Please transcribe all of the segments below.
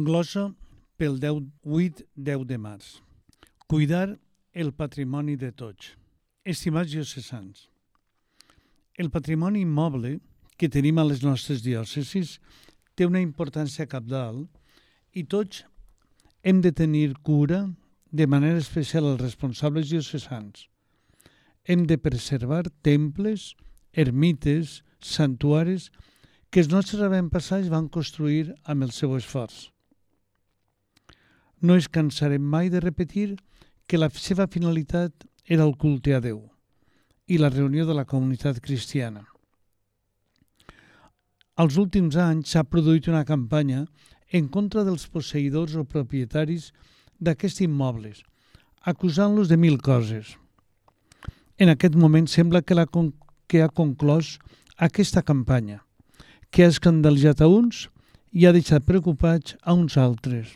Glossa pel 8-10 de març. Cuidar el patrimoni de tots. Estimats diocesans, el patrimoni immoble que tenim a les nostres diòcesis té una importància cabdal i tots hem de tenir cura, de manera especial els responsables diocesans. Hem de preservar temples, ermites, santuaris que els nostres avantpassats van construir amb el seu esforç. No ens cansarem mai de repetir que la seva finalitat era el culte a Déu i la reunió de la comunitat cristiana. Als últims anys s'ha produït una campanya en contra dels posseïdors o propietaris d'aquests immobles, acusant-los de 1000 coses. En aquest moment sembla que ha conclòs aquesta campanya, que ha escandalitzat a uns i ha deixat preocupats a uns altres.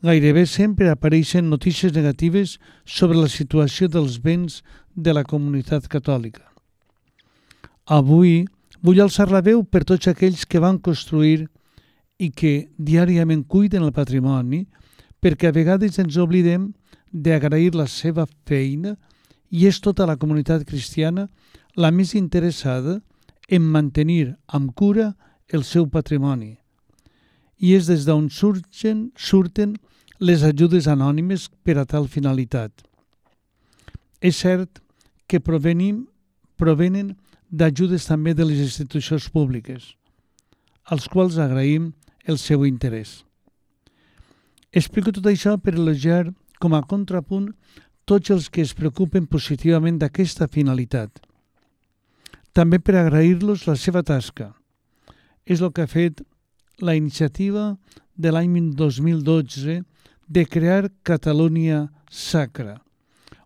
Gairebé sempre apareixen notícies negatives sobre la situació dels béns de la comunitat catòlica. Avui vull alçar la veu per tots aquells que van construir i que diàriament cuiden el patrimoni, perquè a vegades ens oblidem d'agrair la seva feina i és tota la comunitat cristiana la més interessada en mantenir amb cura el seu patrimoni. I és des d'on surten les ajudes anònimes per a tal finalitat. És cert que provenen d'ajudes també de les institucions públiques, als quals agraïm el seu interès. Explico tot això per elogiar com a contrapunt tots els que es preocupen positivament d'aquesta finalitat. També per agrair-los la seva tasca. És el que ha fet la iniciativa de l'any 2012 de crear Catalunya Sacra,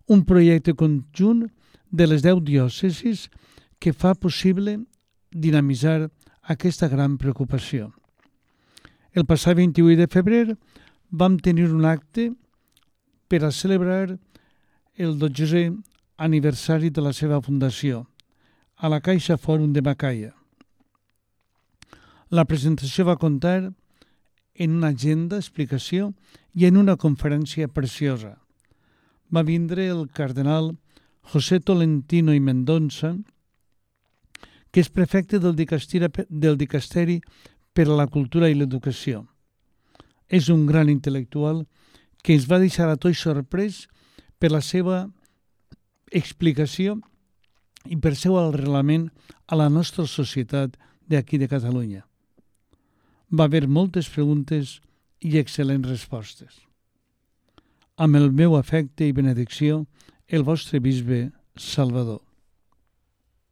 un projecte conjunt de les 10 diòcesis que fa possible dinamitzar aquesta gran preocupació. El passat 28 de febrer vam tenir un acte per a celebrar el 12è aniversari de la seva fundació, a la Caixa Fòrum de Macaia. La presentació va comptar en una agenda, explicació i en una conferència preciosa. Va vindre el cardenal José Tolentino i Mendonça, que és prefecte del Dicasteri per a la Cultura i l'Educació. És un gran intel·lectual que ens va deixar a tots sorprès per la seva explicació i per seu arrelament a la nostra societat d'aquí de Catalunya. Va haver moltes preguntes i excel·lents respostes. Amb el meu afecte i benedicció, el vostre bisbe Salvador.